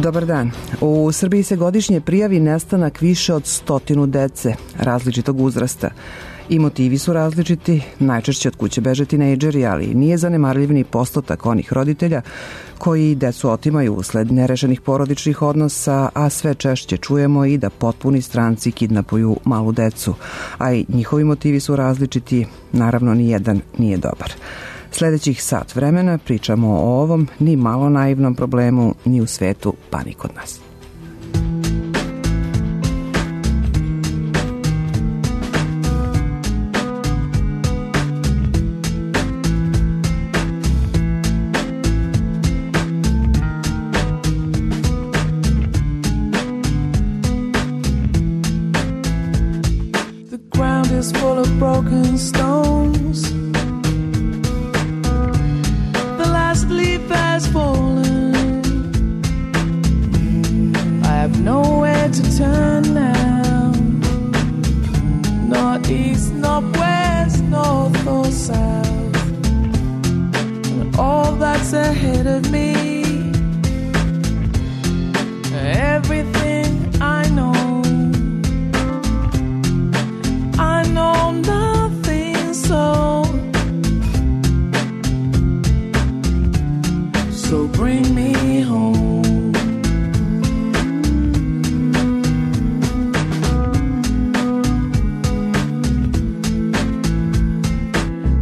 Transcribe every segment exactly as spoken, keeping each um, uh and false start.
Dobar dan. U Srbiji se godišnje prijavi nestanak više od stotinu dece različitog uzrasta. I motivi su različiti, najčešće od kuće beže tinejdžeri, ali nije zanemarljiv ni postotak onih roditelja koji decu otimaju usled nerešenih porodičnih odnosa, a sve češće čujemo i da potpuni stranci kidnapuju malu decu. A i njihovi motivi su različiti, naravno ni jedan nije dobar. Sljedećih sat vremena pričamo o ovom ni malo naivnom problemu ni u svetu, pa ni kod nas. The ground is full of broken stones. Leaf has fallen. I have nowhere to turn now. Not east, not west, north or south. And all that's ahead of me, everything I know, I know nothing, so So bring me home.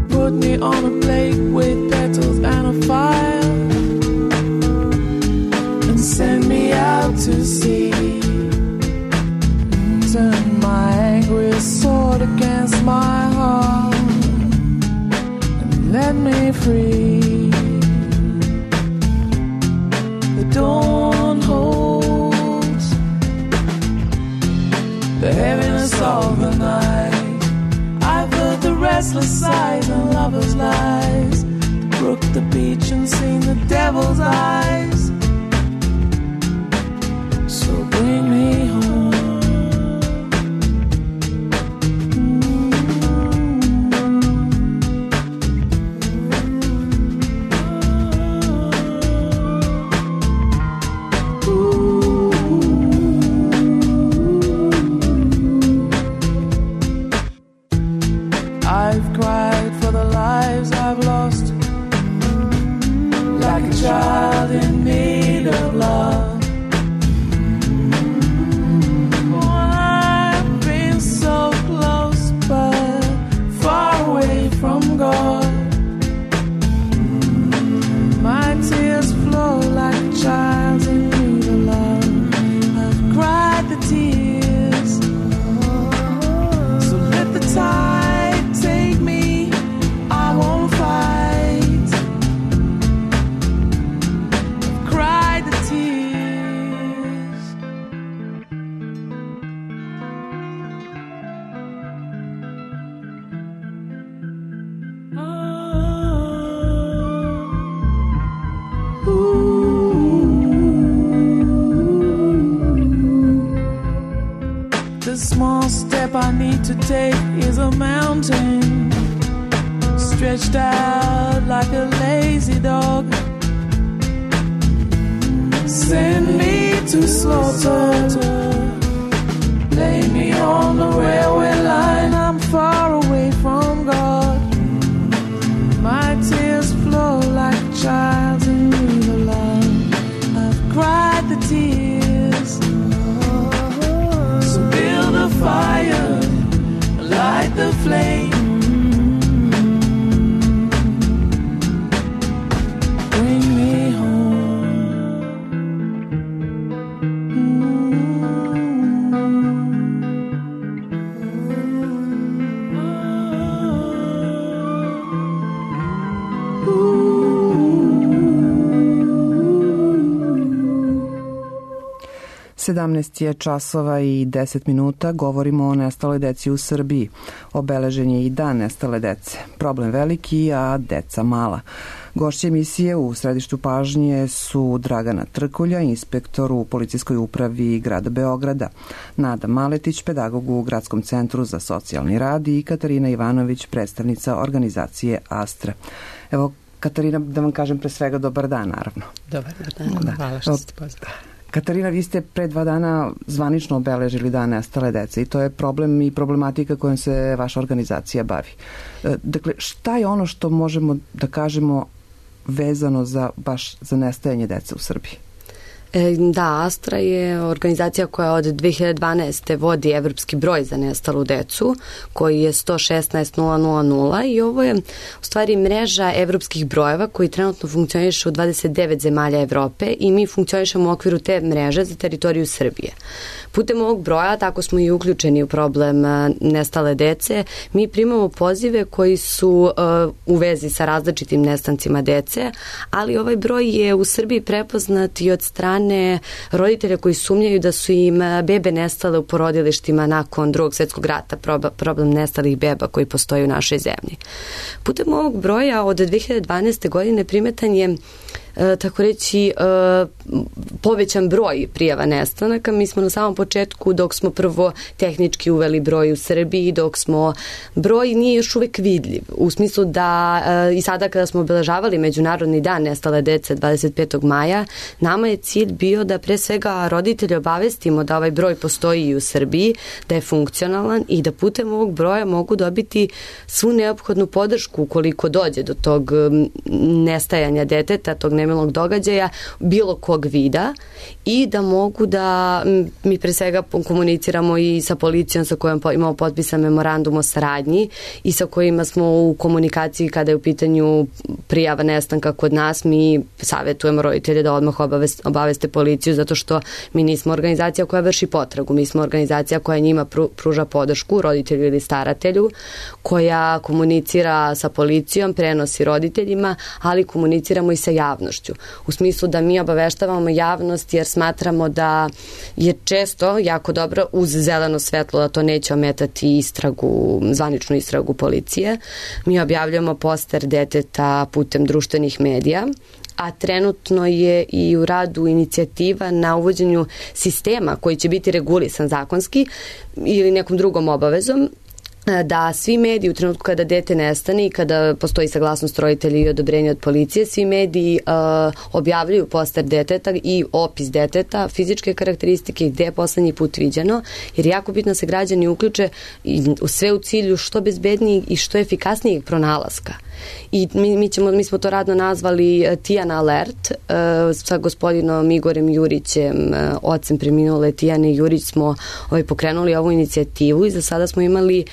Put me on a plate with petals and a fire, and send me out to sea. Turn my angry sword against my heart, and let me free. Dawn holds the heaviness of the night. I've heard the restless sighs and lovers' lies, the brook, the beach, and seen the devil's eyes. So bring me home. The small step I need to take is a mountain, stretched out like a lazy dog. Send me to slaughter, lay me on the railway line. I'm far away from God. My tears flow like a child's in need of love. I've cried the tears. So build a fire, light the flame. Bring me home. sedamnaest je časova i deset minuta, govorimo o nestaloj deci u Srbiji. Obeležen je i dan nestale dece. Problem veliki, a deca mala. Gošće emisije u središtu pažnje su Dragana Trkulja, inspektor u policijskoj upravi grada Beograda, Nada Maletić, pedagog u Gradskom centru za socijalni rad i Katarina Ivanović, predstavnica organizacije Astra. Evo, Katarina, da vam kažem pre svega dobar dan, naravno. Dobar dan, da. Hvala što ste pozvali. Katarina, vi ste pre dva dana zvanično obeležili Dan nestale dece i to je problem i problematika kojom se vaša organizacija bavi. Dakle, šta je ono što možemo da kažemo vezano za baš za nestajanje dece u Srbiji? Da, Astra je organizacija koja od dve hiljade dvanaeste. vodi evropski broj za nestalu decu, koji je sto šesnaest nula nula nula i ovo je u stvari mreža evropskih brojeva koji trenutno funkcioniše u dvadeset devet zemalja Evrope i mi funkcionišemo u okviru te mreže za teritoriju Srbije. Putem ovog broja, tako smo i uključeni u problem nestale dece, mi primamo pozive koji su uh, u vezi sa različitim nestancima dece, ali ovaj broj je u Srbiji prepoznat i od strane roditelja koji sumnjaju da su im bebe nestale u porodilištima nakon Drugog svjetskog rata, problem nestalih beba koji postoji u našoj zemlji. Putem ovog broja od dve hiljade dvanaeste. godine primetan je E, tako reći e, povećan broj prijava nestanaka. Mi smo na samom početku, dok smo prvo tehnički uveli broj u Srbiji, dok smo broj nije još uvek vidljiv, u smislu da e, i sada kada smo obeležavali Međunarodni dan nestale dece dvadeset petog maja, nama je cilj bio da pre svega roditelje obavestimo da ovaj broj postoji i u Srbiji, da je funkcionalan i da putem ovog broja mogu dobiti svu neophodnu podršku ukoliko dođe do tog nestajanja deteta, tog nemilog događaja, bilo kog vida i da mogu da mi pre svega komuniciramo i sa policijom sa kojom imamo potpisan memorandum o saradnji i sa kojima smo u komunikaciji kada je u pitanju prijava nestanka kod nas. Mi savjetujemo roditelje da odmah obaveste, obaveste policiju zato što mi nismo organizacija koja vrši potragu. Mi smo organizacija koja njima pruža podršku, roditelju ili staratelju, koja komunicira sa policijom, prenosi roditeljima, ali komuniciramo i sa javnošću. U smislu da mi obaveštavamo javnost jer smatramo da je često jako dobro uz zeleno svetlo da to neće ometati istragu, zvaničnu istragu policije. Mi objavljamo poster deteta putem društvenih medija, a trenutno je i u radu inicijativa na uvođenju sistema koji će biti regulisan zakonski ili nekom drugom obavezom, da svi mediji u trenutku kada dete nestane i kada postoji saglasnost roditelja i odobrenje od policije, svi mediji uh, objavljuju poster deteta i opis deteta, fizičke karakteristike i gde je poslednji put viđeno, jer jako bitno se građani uključe i sve u cilju što bezbednijeg i što efikasnijeg pronalaska. I mi, mi, ćemo, mi smo to radno nazvali Tijana Alert uh, sa gospodinom Igorem Jurićem, uh, ocem preminule Tijane Jurić smo ovaj, pokrenuli ovu inicijativu i za sada smo imali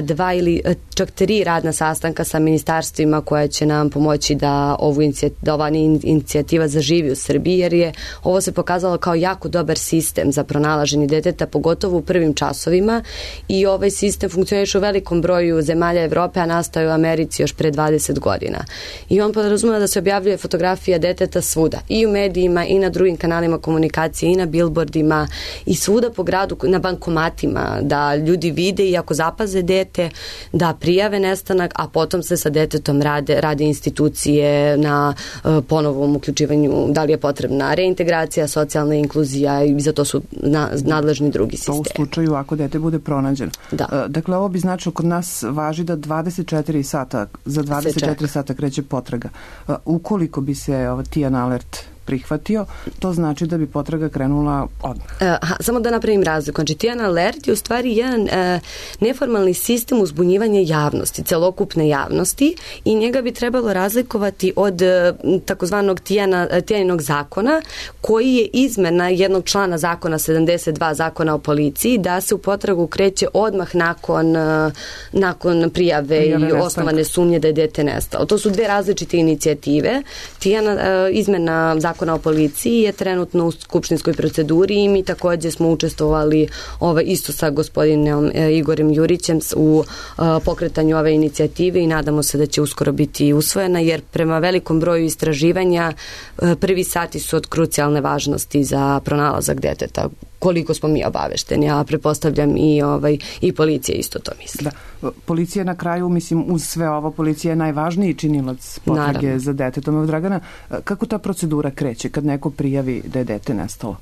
dva ili čak tri radna sastanka sa ministarstvima koja će nam pomoći da, ovu inicijativa, da ova inicijativa zaživi u Srbiji, jer je ovo se pokazalo kao jako dobar sistem za pronalaženje deteta, pogotovo u prvim časovima i ovaj sistem funkcioniše u velikom broju zemalja Evrope, a nastao je u Americi još pre dvadeset godina. I on podrazumeva da se objavljuje fotografija deteta svuda, i u medijima, i na drugim kanalima komunikacije, i na billboardima, i svuda po gradu, na bankomatima, da ljudi vide i ako zapaze dete, da prijave nestanak, a potom se sa detetom rade, rade institucije na uh, ponovom uključivanju, da li je potrebna reintegracija, socijalna inkluzija i za to su na, nadležni drugi sistemi. To u slučaju ako dete bude pronađeno. Da. Uh, dakle, ovo bi značilo kod nas važi da dvadeset četiri sata, za dvadeset četiri sata kreće potraga. Uh, ukoliko bi se uh, Tijana Alert prihvatio, to znači da bi potraga krenula odmah. Aha, samo da napravim razliku. Znači, Tijana Alert je u stvari jedan e, neformalni sistem uzbunjivanja javnosti, celokupne javnosti i njega bi trebalo razlikovati od e, takozvanog Tijana, Tijaninog zakona, koji je izmena jednog člana zakona sedamdeset dva zakona o policiji, da se u potragu kreće odmah nakon, e, nakon prijave, prijave i osnovane sumnje da je dete nestalo. To su dve različite inicijative. Tijana, e, izmena zakona o policiji je trenutno u skupštinskoj proceduri i mi takođe smo učestvovali ovaj, isto sa gospodinom e, Igorem Jurićem u e, pokretanju ove inicijative i nadamo se da će uskoro biti usvojena, jer prema velikom broju istraživanja e, prvi sati su od krucijalne važnosti za pronalazak deteta, koliko smo mi obavešteni, a prepostavljam i, ovaj, i policija isto to misli. Da. Policija na kraju, mislim, uz sve ovo, policija je najvažniji činilac potrage Naravno. za detetom. Evo, Dragana, kako ta procedura kreće kad neko prijavi da je dete nestalo?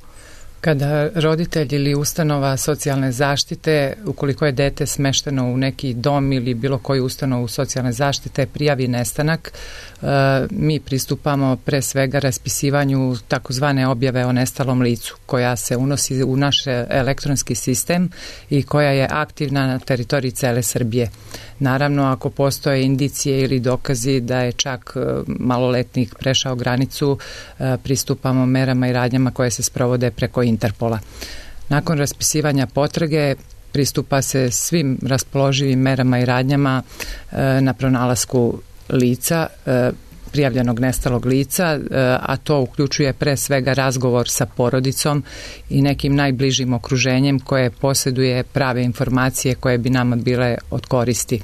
Kada roditelj ili ustanova socijalne zaštite, ukoliko je dete smešteno u neki dom ili bilo koju ustanovu socijalne zaštite, prijavi nestanak, mi pristupamo pre svega raspisivanju takozvane objave o nestalom licu, koja se unosi u naš elektronski sistem i koja je aktivna na teritoriji cele Srbije. Naravno, ako postoje indicije ili dokazi da je čak maloletnik prešao granicu, pristupamo merama i radnjama koje se sprovode preko Interpola. Nakon raspisivanja potrage pristupa se svim raspoloživim merama i radnjama na pronalasku lica, prijavljenog nestalog lica, a to uključuje pre svega razgovor sa porodicom i nekim najbližim okruženjem koje posjeduje prave informacije koje bi nama bile od koristi.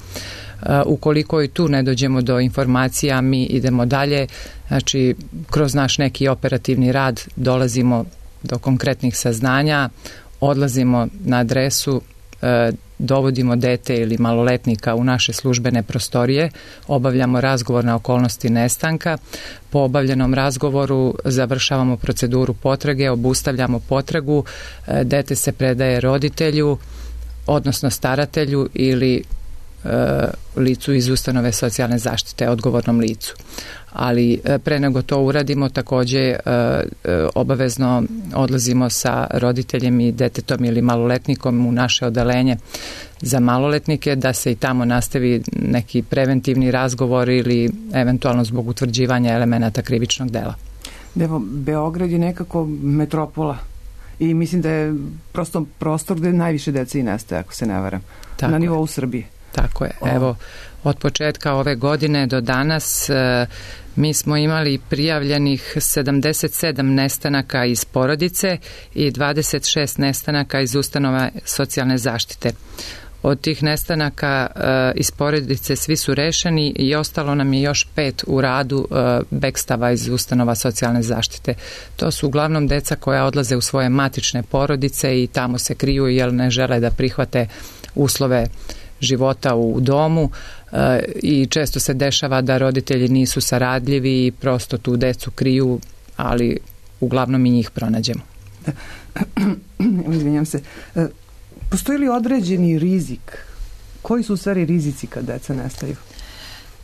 Ukoliko i tu ne dođemo do informacija, mi idemo dalje, znači kroz naš neki operativni rad dolazimo do konkretnih saznanja, odlazimo na adresu, dovodimo dete ili maloletnika u naše službene prostorije, obavljamo razgovor na okolnosti nestanka, po obavljenom razgovoru završavamo proceduru potrage, obustavljamo potragu, dete se predaje roditelju, odnosno staratelju ili licu iz ustanove socijalne zaštite, odgovornom licu. Ali pre nego to uradimo, takođe obavezno odlazimo sa roditeljem i detetom ili maloletnikom u naše odeljenje za maloletnike, da se i tamo nastavi neki preventivni razgovor ili eventualno zbog utvrđivanja elemenata krivičnog dela. Evo, Beograd je nekako metropola i mislim da je prosto prostor gde najviše dece i nestaje, ako se ne varam, tako na nivou je. Srbije. Tako je. Evo, od početka ove godine do danas e, mi smo imali prijavljenih sedamdeset sedam nestanaka iz porodice i dvadeset šest nestanaka iz ustanova socijalne zaštite. Od tih nestanaka e, iz porodice svi su rešeni i ostalo nam je još pet u radu e, bekstava iz ustanova socijalne zaštite. To su uglavnom deca koja odlaze u svoje matične porodice i tamo se kriju jer ne žele da prihvate uslove života u domu e, i često se dešava da roditelji nisu saradljivi i prosto tu decu kriju, ali uglavnom i njih pronađemo. Izvinjam se. E, postoji li određeni rizik? Koji su u stvari rizici kad deca nestaju?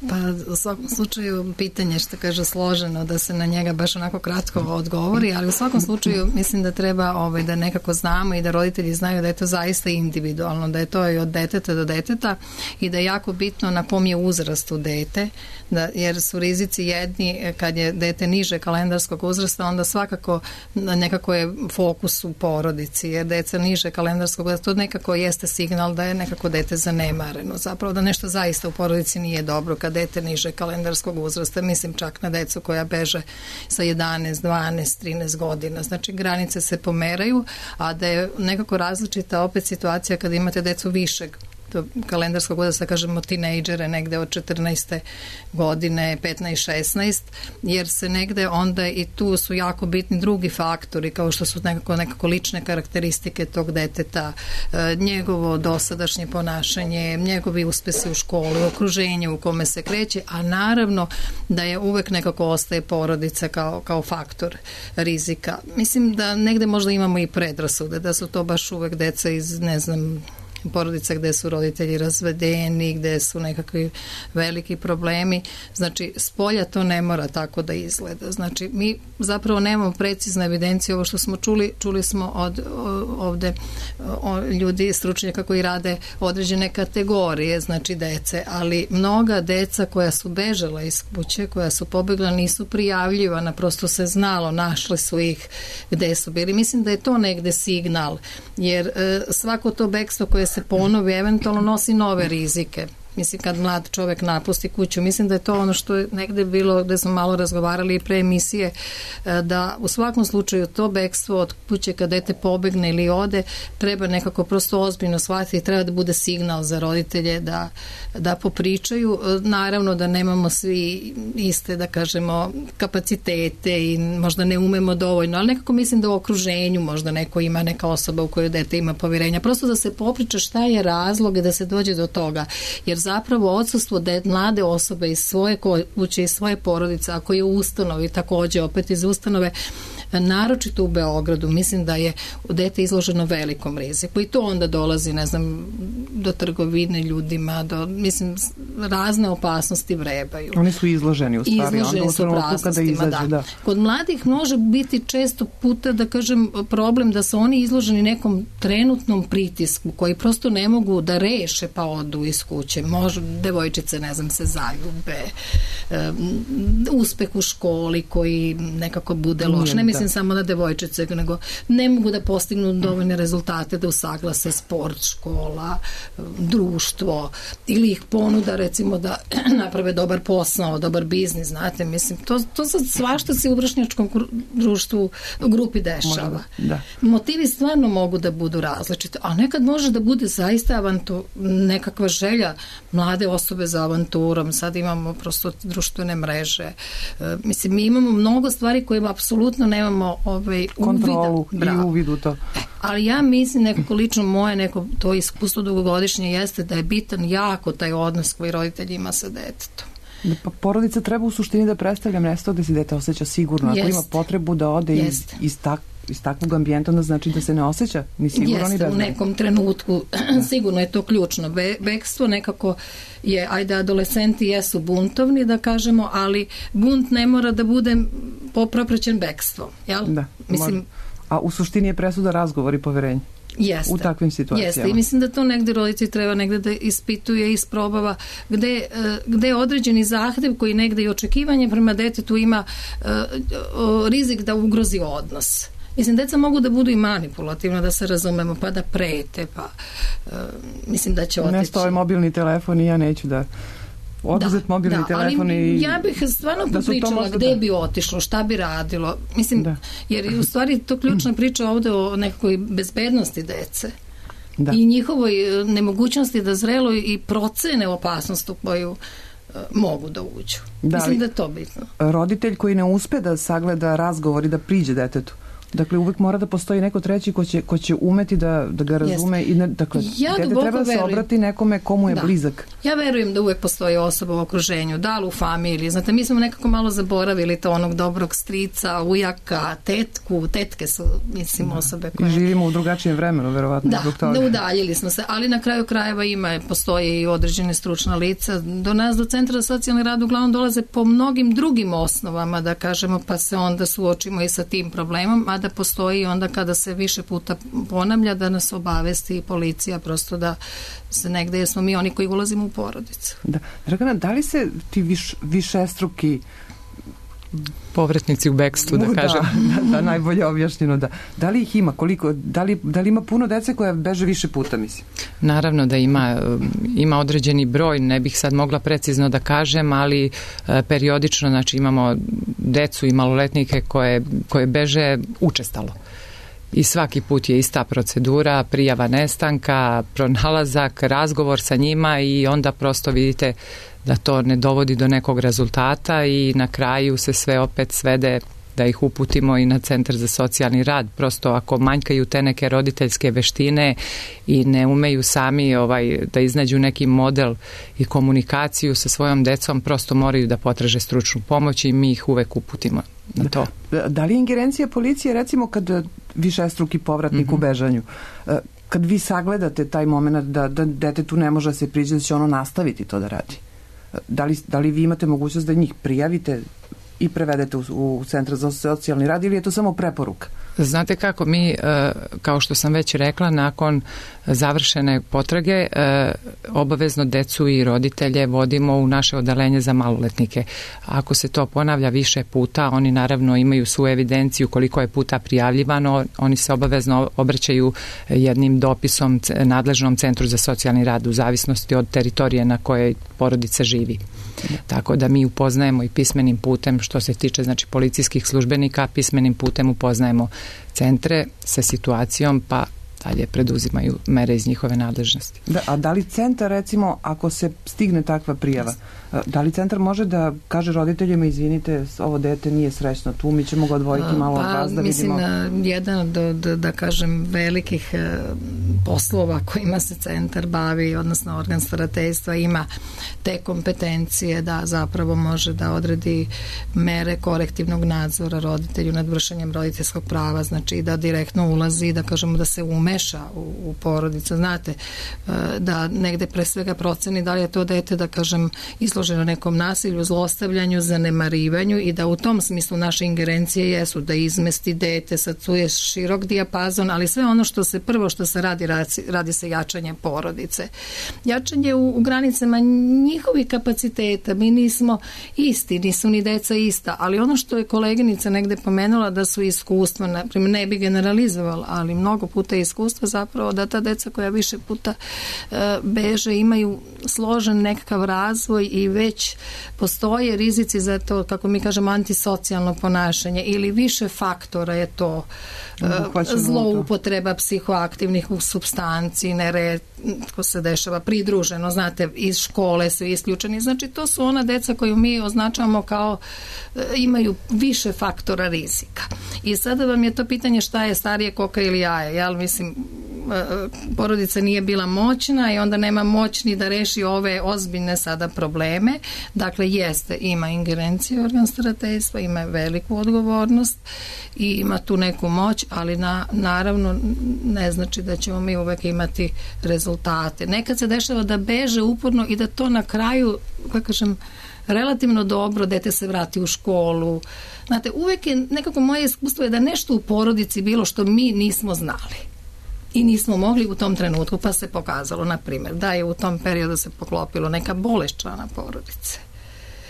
Pa u svakom slučaju pitanje, što kaže, složeno da se na njega baš onako kratko odgovori, ali u svakom slučaju mislim da treba ovaj, da nekako znamo i da roditelji znaju da je to zaista individualno, da je to i od deteta do deteta i da je jako bitno na kom je uzrastu dete, da, jer su rizici jedni kad je dete niže kalendarskog uzrasta, onda svakako nekako je fokus u porodici, jer deca niže kalendarskog uzrasta, to nekako jeste signal da je nekako dete zanemareno, zapravo da nešto zaista u porodici nije dobro kad dete niže kalendarskog uzrasta, mislim čak na decu koja beže sa jedanaest, dvanaest, trinaest godina. Znači granice se pomeraju, a da je nekako različita opet situacija kada imate decu višeg kalendarskog uzrasta, kažemo tinejdžere negde od četrnaeste godine, petnaest šesnaest, jer se negde onda i tu su jako bitni drugi faktori kao što su nekako, nekako lične karakteristike tog deteta, njegovo dosadašnje ponašanje, njegovi uspesi u školi, okruženje u kome se kreće, a naravno da je uvek nekako ostaje porodica kao, kao faktor rizika. Mislim da negde možda imamo i predrasude, da su to baš uvek deca iz, ne znam, porodica gde su roditelji razvedeni, gde su nekakvi veliki problemi. Znači, spolja to ne mora tako da izgleda. Znači, mi zapravo nemamo precizne evidencije. Ovo što smo čuli, čuli smo od ovde o, ljudi, stručnjaka koji rade određene kategorije, znači dece, ali mnoga deca koja su bežala iz kuće, koja su pobegla, nisu prijavljivana, prosto se znalo, našli su ih gde su bili. Mislim da je to negde signal, jer e, svako to bekstvo koje se ponovi, eventualno nosi nove rizike. Mislim, kad mlad čovek napusti kuću, mislim da je to ono što je negde bilo, gde smo malo razgovarali i pre emisije, da u svakom slučaju to bekstvo od kuće kad dete pobegne ili ode, treba nekako prosto ozbiljno shvatiti i treba da bude signal za roditelje da, da popričaju. Naravno da nemamo svi iste, da kažemo, kapacitete i možda ne umemo dovoljno, ali nekako mislim da u okruženju možda neko ima, neka osoba u kojoj dete ima poverenja. Prosto da se popriča šta je razlog i da se dođe do toga. Jer zapravo odsustvo de, mlade osobe iz svoje kuće, iz svoje porodice, ako je u ustanovi takođe opet iz ustanove, naročito u Beogradu, mislim da je dete izloženo velikom riziku i to onda dolazi, ne znam, do trgovine ljudima, do, mislim, razne opasnosti vrebaju. Oni su izloženi u stvari. Izloženi su opasnostima, da. da. Kod mladih može biti često puta, da kažem, problem da su oni izloženi nekom trenutnom pritisku koji prosto ne mogu da reše pa odu iz kuće. Može, devojčice, ne znam, se zaljube, um, uspeh u školi koji nekako bude loš. Ne mislim da. samo na devojčice, nego ne mogu da postignu dovoljne rezultate da usaglase sport, škola, društvo, ili ih ponuda, recimo, da naprave dobar posao, dobar biznis, znate, mislim, to, to sad svašta se u vršnjačkom društvu, grupi dešava. Da. Motivi stvarno mogu da budu različite, a nekad može da bude zaista avantu, nekakva želja mlade osobe za avanturom. Sad imamo prosto društvene mreže. E, mislim, mi imamo mnogo stvari koje apsolutno nemamo ovaj, kontrolu uvida. i uvidu to. E, ali ja mislim, nekako lično moje, neko to iskustvo dugogodišnje jeste da je bitan jako taj odnos koji roditelj ima sa detetom. Da, pa porodica treba u suštini da predstavlja mjesto gde se dete osjeća sigurno. Ako jest. ima potrebu da ode iz, iz, tak, iz takvog ambijenta, onda znači da se ne osjeća ni sigurno jeste, ni bezbedno. U nekom trenutku sigurno je to ključno. Be, bekstvo nekako je, ajde, adolescenti jesu buntovni, da kažemo, ali bunt ne mora da bude popraćen bekstvom. Jel? Da, mislim, a u suštini je presuda razgovor i poverenje. Jeste, u takvim situacijama. Jeste i mislim da to negde roditelj treba negde da ispituje i isprobava gde, gde je određeni zahtev koji negde i očekivanje prema detetu ima uh, rizik da ugrozi odnos. Mislim, deca mogu da budu i manipulativna, da se razumemo, pa da prete, pa uh, mislim da će otići. Ne stoji mobilni telefon i ja neću da oduzet da, mobilni da, telefon ali i... ja bih stvarno da popričala gde da. bi otišlo, šta bi radilo. Mislim, da. jer u stvari to ključna priča ovde o nekakvoj bezbednosti dece. Da. I njihovoj nemogućnosti da zrelo i procene opasnost u koju uh, mogu da uđu. Da, mislim da je to bitno. Roditelj koji ne uspe da sagleda razgovor i da priđe detetu, dakle, uvek mora da postoji neko treći ko će, ko će umeti da, da ga razume. Yes. I ne, dakle, ja dete treba da se obrati nekome komu je da. blizak. Ja verujem da uvek postoji osoba u okruženju, da li u familiji. Znate, mi smo nekako malo zaboravili to onog dobrog strica, ujaka, tetku. Tetke su, mislim, da. osobe koje... I živimo u drugačijem vremenu, verovatno. Da, da udaljili smo se, ali na kraju krajeva ima, postoje i određene stručna lica. Do nas, do Centra za socijalni rad, uglavnom dolaze po mnogim drugim osnovama, da kažemo, pa se onda suočimo i sa tim problemom, a da postoji onda kada se više puta ponavlja da nas obavesti policija, prosto da se negde, jer smo mi oni koji ulazimo u porodicu. Da. Dragana, da li se ti viš, višestruki povratnici u bekstvu, da kažem. Da, da, da, najbolje objašnjeno, da. Da li ih ima, koliko, da li, da li ima puno dece koja beže više puta, mislim? Naravno da ima, ima određeni broj, ne bih sad mogla precizno da kažem, ali e, periodično, znači imamo decu i maloletnike koje, koje beže učestalo. I svaki put je ista procedura, prijava nestanka, pronalazak, razgovor sa njima i onda prosto vidite da to ne dovodi do nekog rezultata i na kraju se sve opet svede da ih uputimo i na Centar za socijalni rad. Prosto ako manjkaju te neke roditeljske veštine i ne umeju sami ovaj, da iznađu neki model i komunikaciju sa svojom decom, prosto moraju da potraže stručnu pomoć i mi ih uvek uputimo na to. Da, da li je ingerencija policije, recimo kad višestruki povratnik mm-hmm. u bežanju, kad vi sagledate taj moment da, da detetu ne može se priđe da će ono nastaviti to da radi? Da li, da li vi imate mogućnost da njih prijavite i prevedete u, u Centar za socijalni rad ili je to samo preporuka? Znate kako, mi, kao što sam već rekla, nakon završene potrage obavezno decu i roditelje vodimo u naše odeljenje za maloletnike. Ako se to ponavlja više puta, oni naravno imaju svu evidenciju koliko je puta prijavljivano, oni se obavezno obraćaju jednim dopisom nadležnom Centru za socijalni rad u zavisnosti od teritorije na kojoj porodica živi. Tako da mi upoznajemo i pismenim putem, što se tiče znači policijskih službenika, pismenim putem upoznajemo centre sa situacijom, pa dalje preduzimaju mere iz njihove nadležnosti. Da, a da li centar, recimo, ako se stigne takva prijava, da li centar može da kaže roditeljima, izvinite, ovo dete nije srećno tu, mi ćemo ga odvojiti malo od vas da mislim, vidimo? Mislim, jedan od, da, da kažem, velikih poslova kojima se centar bavi, odnosno organ starateljstva, ima te kompetencije da zapravo može da odredi mere korektivnog nadzora roditelju nad vršenjem roditeljskog prava, znači da direktno ulazi, da kažemo da se umeša u, u porodicu, znate, da negde pre svega proceni da li je to dete, da kažem, izloženo nekom nasilju, zlostavljanju, zanemarivanju i da u tom smislu naše ingerencije jesu da izmesti dete, sad tu je širok dijapazon, ali sve ono što se prvo što se radi, radi se jačanje porodice. Jačanje u, u granicama njihovih kapaciteta, mi nismo isti, nisu ni deca ista, ali ono što je koleginica negde pomenula da su iskustva, naprimjer, ne bi generalizovala, ali mnogo puta je iskustva zapravo da ta deca koja više puta uh, beže imaju složen nekakav razvoj i već postoje rizici za to, kako mi kažemo, antisocijalno ponašanje ili više faktora je to uh, zloupotreba psihoaktivnih supstanci, neretko se dešava pridruženo, znate, iz škole su isključeni, znači to su ona deca koju mi označavamo kao uh, imaju više faktora rizika. I sada vam je to pitanje šta je starije, koka ili jaje, jel, mislim, porodica nije bila moćna i onda nema moć ni da reši ove ozbiljne sada probleme. Dakle, jeste, ima ingerencije organ starateljstva, ima veliku odgovornost i ima tu neku moć, ali na, naravno ne znači da ćemo mi uvek imati rezultate. Nekad se dešava da beže uporno i da to na kraju, kako kažem, relativno dobro, dete se vrati u školu. Znate, uvek je, nekako moje iskustvo je da nešto u porodici bilo što mi nismo znali i nismo mogli u tom trenutku, pa se pokazalo, na primjer, da je u tom periodu se poklopilo neka bolest člana porodice.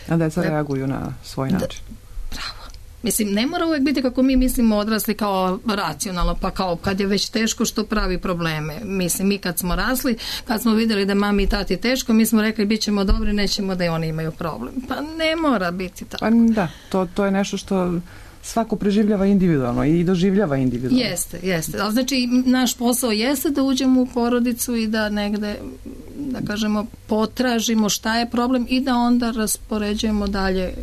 A deca reaguju na svoj način. Da, bravo. Mislim, ne mora uvek biti kako mi mislimo odrasli kao racionalno, pa kao kad je već teško što pravi probleme. Mislim, mi kad smo rasli, kad smo vidjeli da mami i tati teško, mi smo rekli bit ćemo dobri, nećemo da i oni imaju problem. Pa ne mora biti tako. Pa da, to, to je nešto što svako preživljava individualno i doživljava individualno. Jeste, jeste. Ali znači, naš posao jeste da uđemo u porodicu i da negde, da kažemo, potražimo šta je problem i da onda raspoređujemo dalje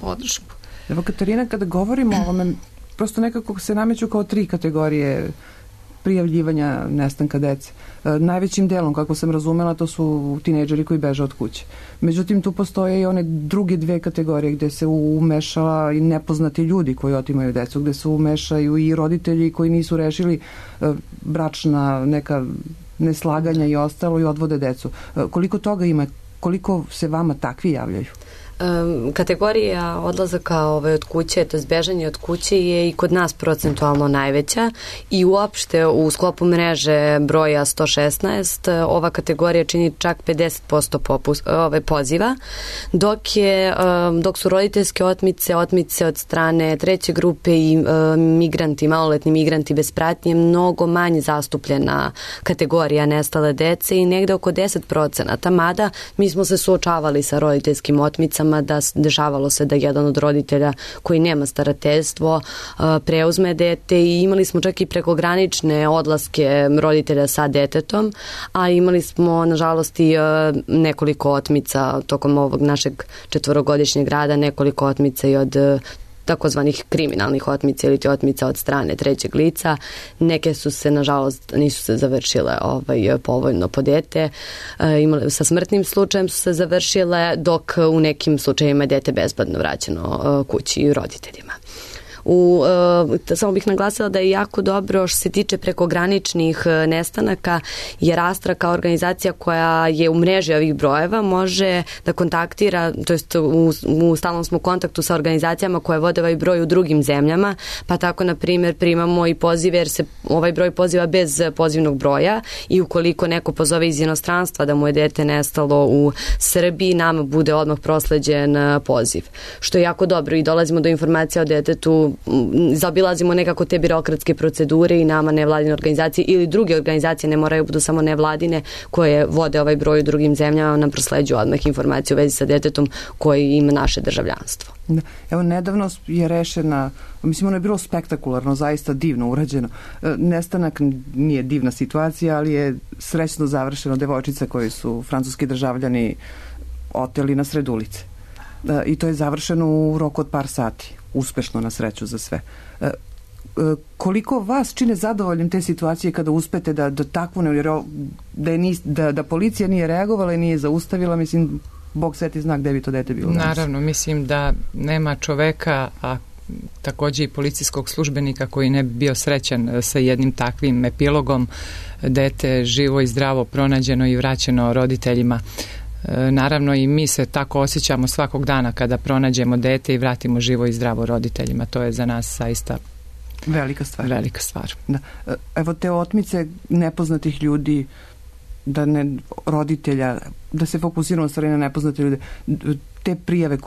podršku. Evo, Katarina, kada govorimo o ovome, prosto nekako se nameću kao tri kategorije prijavljivanja nestanka dece. E, najvećim delom, kako sam razumela, to su tinejdžeri koji beže od kuće. Međutim, tu postoje i one druge dve kategorije gde se umešala i nepoznati ljudi koji otimaju decu, gde se umešaju i roditelji koji nisu rešili e, bračna neka neslaganja i ostalo i odvode decu. E, koliko toga ima? Koliko se vama takvi javljaju? Kategorija odlazaka ove, od kuće, to je bežanje od kuće je i kod nas procentualno najveća i uopšte u sklopu mreže broja sto šesnaest ova kategorija čini čak pedeset posto popus, ove, poziva, dok, je, dok su roditeljske otmice, otmice od strane treće grupe i migranti, maloletni migranti bez pratnje mnogo manje zastupljena kategorija nestale dece i negde oko deset procenata, mada mi smo se suočavali sa roditeljskim otmicama da dešavalo se da jedan od roditelja koji nema starateljstvo preuzme dete i imali smo čak i prekogranične odlaske roditelja sa detetom, a imali smo nažalost i nekoliko otmica tokom ovog našeg četvorogodišnjeg rada, nekoliko otmica i od takozvanih kriminalnih otmica ili otmica od strane trećeg lica. Neke su se, nažalost, nisu se završile ovaj, povoljno po dete. E, imali, sa smrtnim slučajem su se završile, dok u nekim slučajima je dete bezbedno vraćeno kući i roditeljima. U, e, samo bih naglasila da je jako dobro što se tiče prekograničnih nestanaka, jer Astra kao organizacija koja je u mreži ovih brojeva može da kontaktira, to jest u, u stalnom smo kontaktu sa organizacijama koje vode ovaj broj u drugim zemljama, pa tako na primjer primamo i pozive jer se ovaj broj poziva bez pozivnog broja i ukoliko neko pozove iz inostranstva da mu je dete nestalo u Srbiji, nama bude odmah prosleđen poziv, što je jako dobro i dolazimo do informacija o detetu zaobilazimo nekako te birokratske procedure i nama nevladine organizacije ili druge organizacije, ne moraju budu samo nevladine, koje vode ovaj broj u drugim zemljama, nam prosleđuju odmah informacije u vezi sa detetom koji ima naše državljanstvo. Da. Evo, nedavno je rešena, mislim, ono je bilo spektakularno, zaista divno urađeno. Nestanak nije divna situacija, ali je srećno završeno, devojčica koji su francuski državljani oteli na sred ulice. I to je završeno u roku od par sati. Uspešno, na sreću za sve. Koliko vas čine zadovoljnim te situacije kada uspete da, da takvu ne, da, je, da, da policija nije reagovala i nije zaustavila, mislim, Bog sveti zna gde bi to dete bilo. Naravno, mislim da nema čoveka, a takođe i policijskog službenika koji ne bi bio srećan sa jednim takvim epilogom. Dete živo i zdravo pronađeno i vraćeno roditeljima. Naravno i mi se tako osjećamo svakog dana kada pronađemo dete i vratimo živo i zdravo roditeljima. To je za nas zaista velika stvar. Velika stvar. Da. Evo te otmice nepoznatih ljudi, da ne roditelja, da se fokusiramo stvari na nepoznate ljude, te prijave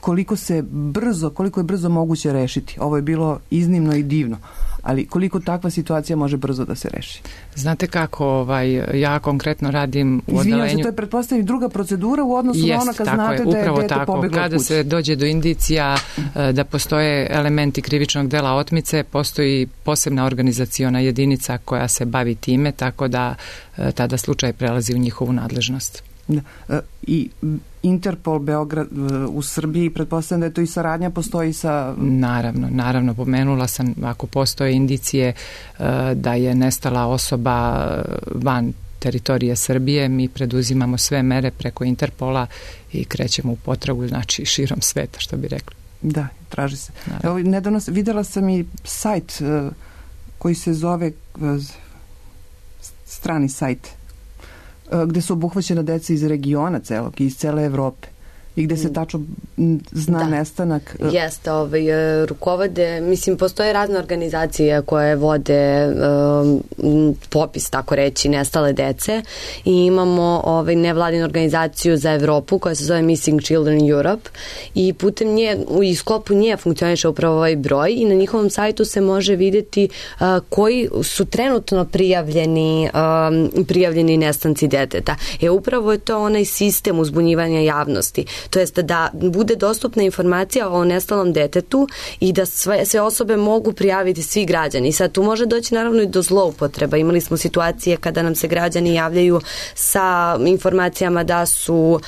koliko se brzo, koliko je brzo moguće rešiti. Ovo je bilo iznimno i divno, ali koliko takva situacija može brzo da se reši? Znate kako, ovaj, ja konkretno radim u odelenju... Izvinjam se, to je pretpostavljena druga procedura u odnosu Jest, na ono kad znate je, da je dete pobeglo od kuće. Kada se dođe do indicija da postoje elementi krivičnog dela otmice, postoji posebna organizaciona jedinica koja se bavi time, tako da tada slučaj prelazi u njihovu nadležnost. Da. I Interpol Beograd u Srbiji, pretpostavljam da je to i saradnja postoji sa... Naravno, naravno, pomenula sam, ako postoje indicije da je nestala osoba van teritorije Srbije, mi preduzimamo sve mere preko Interpola i krećemo u potragu, znači širom sveta, što bi rekli. Da, traži se. Evo, nedavno videla sam i sajt koji se zove strani sajt, gde su obuhvaćena deca iz regiona celog, iz cele Evrope i gde se tačno zna da. Nestanak. Jeste, ovaj, rukovode, mislim, postoje razne organizacije koje vode um, popis, tako reći, nestale dece i imamo ovaj, nevladinu organizaciju za Evropu koja se zove Missing Children Europe i putem nje, u sklopu nje funkcioniše upravo ovaj broj i na njihovom sajtu se može vidjeti uh, koji su trenutno prijavljeni um, prijavljeni nestanci deteta. E, upravo je to onaj sistem uzbunjivanja javnosti. To jest da bude dostupna informacija o nestalom detetu i da sve, sve osobe mogu prijaviti, svi građani. I sad tu može doći naravno i do zloupotreba. Imali smo situacije kada nam se građani javljaju sa informacijama da su,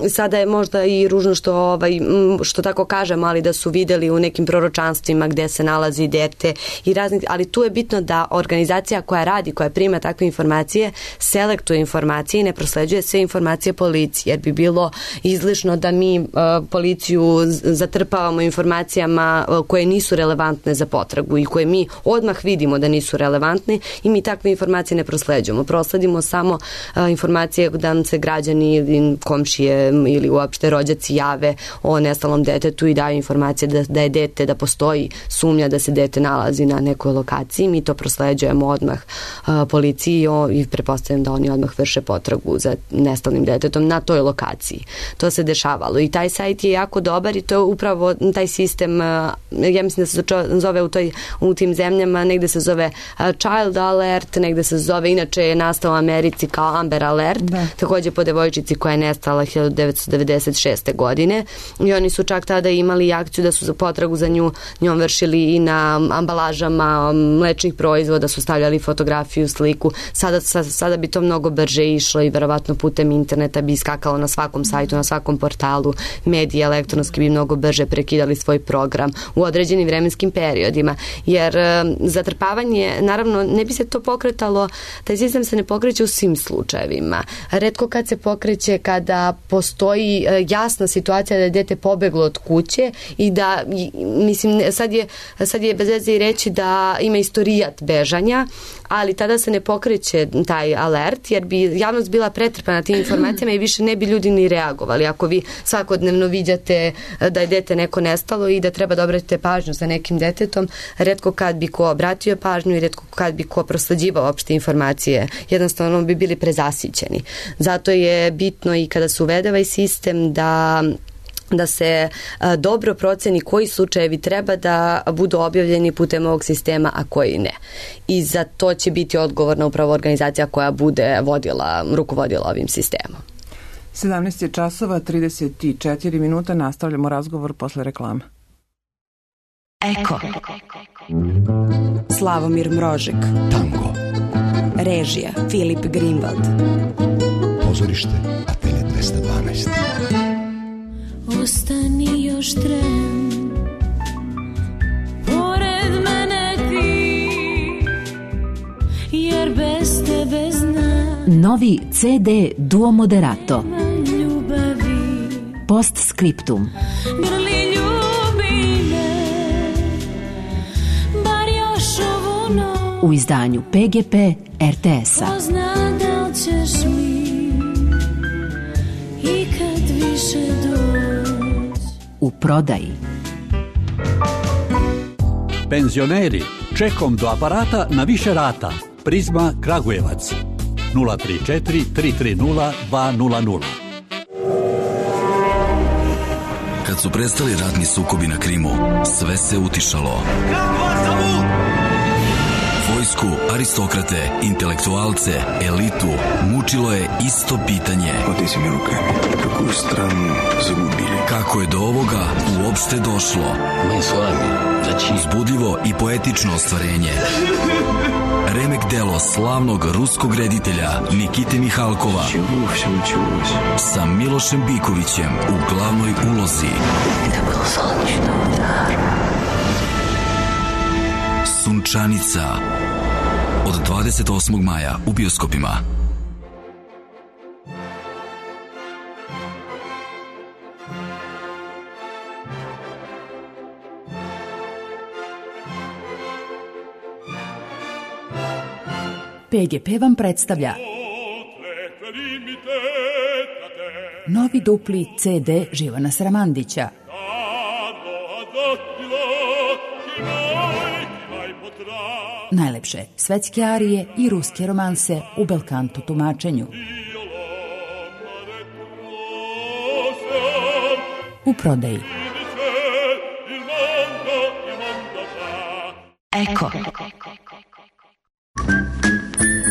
sada je možda i ružno što, ovaj, što tako kažem, ali da su videli u nekim proročanstvima gde se nalazi dete i razni, ali tu je bitno da organizacija koja radi, koja prima takve informacije, selektuje informacije i ne prosleđuje sve informacije policiji, jer bi bilo izlišno da mi uh, policiju zatrpavamo informacijama uh, koje nisu relevantne za potragu i koje mi odmah vidimo da nisu relevantne i mi takve informacije ne prosleđujemo. Prosledimo samo uh, informacije da nam se građani ili komšije ili uopšte rođaci jave o nestalom detetu i daju informacije da, da je dete, da postoji sumnja da se dete nalazi na nekoj lokaciji. Mi to prosleđujemo odmah uh, policiji o, i pretpostavljam da oni odmah vrše potragu za nestalnim detetom na toj lokaciji. To se dešavalo i taj sajt je jako dobar i to je upravo taj sistem, uh, ja mislim da se zove u, toj, u tim zemljama, negde se zove uh, Child Alert, negde se zove, inače je nastao u Americi kao Amber Alert, da. Takođe po devojčici koja je nestala hiljadu devetsto devedeset šeste. godine i oni su čak tada imali akciju da su za potragu za nju njom vršili i na ambalažama mlečnih proizvoda, su stavljali fotografiju, sliku. Sada, sada bi to mnogo brže išlo i verovatno putem interneta bi iskakalo na svakom sajtu, na svakom portalu, mediji elektronski bi mnogo brže prekidali svoj program u određenim vremenskim periodima, jer zatrpavanje, naravno, ne bi se to pokretalo, taj sistem se ne pokreće u svim slučajevima. Retko kad se pokreće kada postoji jasna situacija da je dete pobeglo od kuće i da, mislim, sad je, sad je bez veze i reći da ima istorijat bežanja, ali tada se ne pokreće taj alert, jer bi javnost bila pretrpana tim informacijama i više ne bi ljudi ni reagovali. Ako vi svakodnevno viđate da je dete neko nestalo i da treba da obratite pažnju za nekim detetom, retko kad bi ko obratio pažnju i retko kad bi ko prosleđivao opšte informacije, jednostavno bi bili prezasićeni. Zato je bitno i kada se uvede ovaj sistem da da se a, dobro proceni koji slučajevi treba da budu objavljeni putem ovog sistema, a koji ne. I za to će biti odgovorna upravo organizacija koja bude vodila, rukovodila ovim sistemom. sedamnaest je časova, trideset četiri minuta, nastavljamo razgovor posle reklama. Eko. Slavomir Mrožek. Tango. Režija Filip Greenwald. Pozorište Atelje dvesta dvanaest. Ostani još tren, pored mene ti, jer bez tebe znam. Novi ce de Duo Moderato. Ljubavi. Postscriptum. Grli ljubi me, bar još ovu noć. U izdanju pe ge pe er te es-a. Ko zna da li ćeš mi ikad više doći. U prodaji. Penzioneri, čekom do aparata na više rata. Prizma Kragujevac. nula tri četiri tri tri nula dva nula nula. Kad su prestali ratni sukobi na Krimu, sve se utišalo. Vojsku, aristokrate, intelektualce, elitu, mučilo je isto pitanje. Oteci mi rukami, kakvu stranu zagubili. Kako je do ovoga uopšte došlo? Mi s vami, znači... Uzbudljivo i poetično ostvarenje. Remek delo slavnog ruskog reditelja Nikite Mihalkova sa Milošem Bikovićem u glavnoj ulozi. Sunčanica od dvadeset osmog maja u bioskopima. pe ge pe vam predstavlja novi dupli ce de Živana Sramandića. Najlepše svetske arije i ruske romanse u belkanto tumačenju. U prodaji. Eko.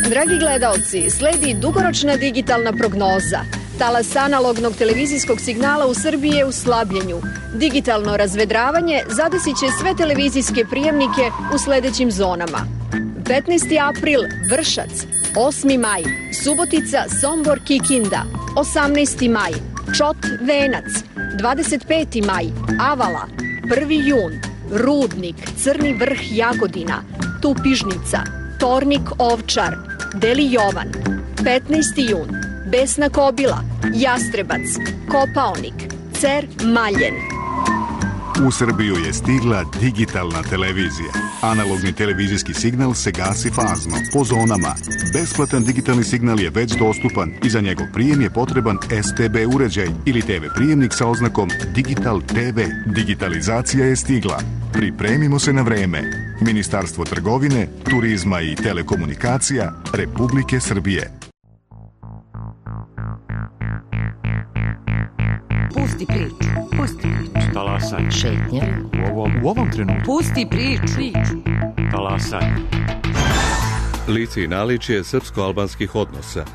Dragi gledaoci, sledi dugoročna digitalna prognoza. Talas analognog televizijskog signala u Srbiji je u slabljenju. Digitalno razvedravanje zadesit će sve televizijske prijemnike u sledećim zonama. petnaesti april Vršac, osmi maj Subotica, Sombor, Kikinda, osamnaesti maj Čot, Venac, dvadeset peti maj Avala, prvi jun Rudnik, Crni Vrh, Jagodina, Tupižnica, Tornik, Ovčar, Deli Jovan, petnaesti jun Besna Kobila, Jastrebac, Kopaonik, Cer, Maljen. U Srbiju je stigla digitalna televizija. Analogni televizijski signal se gasi fazno, po zonama. Besplatan digitalni signal je već dostupan i za njegov prijem je potreban es te be uređaj ili te ve prijemnik sa oznakom Digital te ve. Digitalizacija je stigla. Pripremimo se na vreme. Ministarstvo trgovine, turizma i telekomunikacija Republike Srbije. Pusti priču, pusti priču. Talasanje. Šetnja. U ovom, u ovom trenutku. Pusti priču. Talasanje. Lice i naličje srpsko-albanskih odnosa.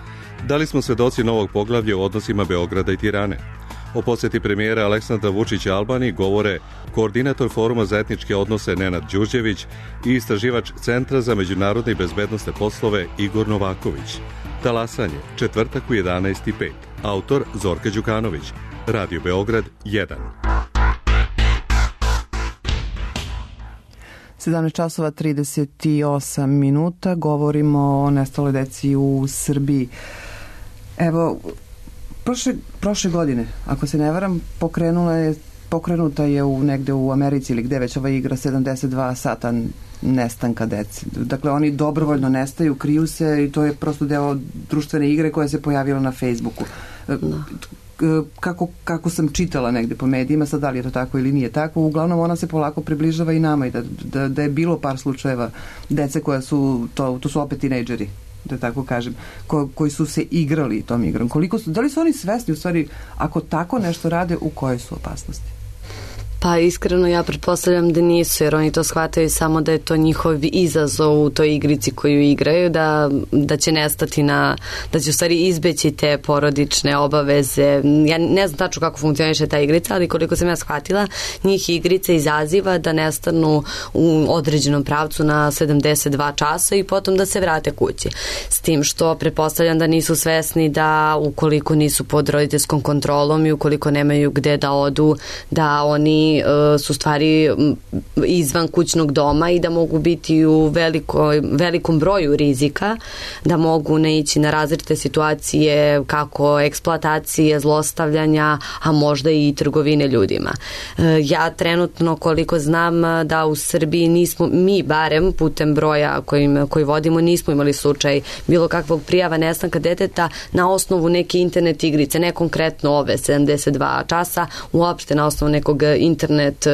Da li smo svedoci novog poglavlja u odnosima Beograda i Tirane? O posjeti premijera Aleksandra Vučića Albaniji govore koordinator Foruma za etničke odnose Nenad Đurđević i istraživač Centra za međunarodne i bezbednosne poslove Igor Novaković. Talasanje, četvrtak u jedanaest i pet. Autor Zorka Đukanović. Radio Beograd jedan. sedamnaest časova trideset osam minuta. Govorimo o nestaloj deci u Srbiji. Evo, prošle, prošle godine, ako se ne varam, pokrenula je, pokrenuta je u, negde u Americi ili gde već ova igra sedamdeset dva sata nestanka deci. Dakle, oni dobrovoljno nestaju, kriju se i to je prosto deo društvene igre koja se pojavila na Facebooku. No. Kako, kako sam čitala negde po medijima, sad da li je to tako ili nije tako, uglavnom ona se polako približava i nama i da, da, da je bilo par slučajeva dece koja su, to, to su opet tinejdžeri da tako kažem, ko, koji su se igrali tom igrom. Koliko su, da li su oni svesni u stvari, ako tako nešto rade, u kojoj su opasnosti? Pa iskreno ja pretpostavljam da nisu, jer oni to shvataju samo da je to njihov izazov u toj igrici koju igraju, da, da će nestati na, da će u stvari izbeći te porodične obaveze. Ja ne znam tačno kako funkcioniše ta igrica, ali koliko sam ja shvatila, njih igrica izaziva da nestanu u određenom pravcu na sedamdeset dva časa i potom da se vrate kući. S tim što pretpostavljam da nisu svesni da ukoliko nisu pod roditeljskom kontrolom i ukoliko nemaju gde da odu, da oni su stvari izvan kućnog doma i da mogu biti u veliko, velikom broju rizika, da mogu naići na različite situacije kako eksploatacije, zlostavljanja, a možda i trgovine ljudima. Ja trenutno koliko znam da u Srbiji nismo, mi barem putem broja kojim, koji vodimo, nismo imali slučaj bilo kakvog prijava nestanka deteta na osnovu neke internet igrice, ne konkretno ove sedamdeset dva časa, uopšte na osnovu nekog internet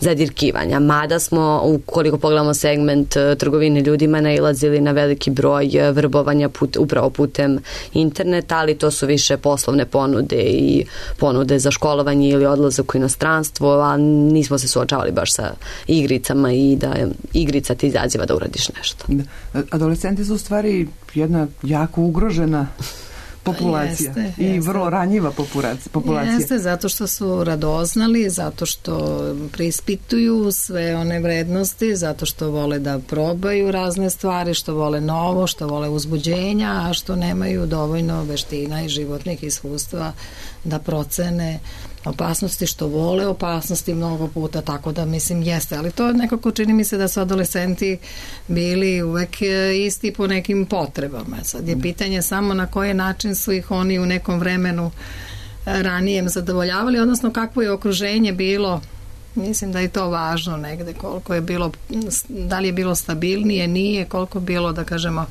zadirkivanja. Mada smo, ukoliko pogledamo segment trgovine ljudima, nailazili na veliki broj vrbovanja put, upravo putem interneta, ali to su više poslovne ponude i ponude za školovanje ili odlazak u inostranstvo, a nismo se suočavali baš sa igricama i da igrica ti izaziva da uradiš nešto. Adolescenti su u stvari jedna jako ugrožena populacija. Jeste, i jeste. Vrlo ranjiva populacija. Jeste, zato što su radoznali, zato što preispituju sve one vrednosti, zato što vole da probaju razne stvari, što vole novo, što vole uzbuđenja, a što nemaju dovoljno veština i životnih iskustva da procene opasnosti, što vole opasnosti mnogo puta, tako da mislim jeste, ali to nekako čini mi se da su adolescenti bili uvek isti po nekim potrebama. Sad je pitanje samo na koji način su ih oni u nekom vremenu ranijem zadovoljavali, odnosno kakvo je okruženje bilo. Mislim da je to važno negde, koliko je bilo, da li je bilo stabilnije, nije, koliko bilo, da kažemo,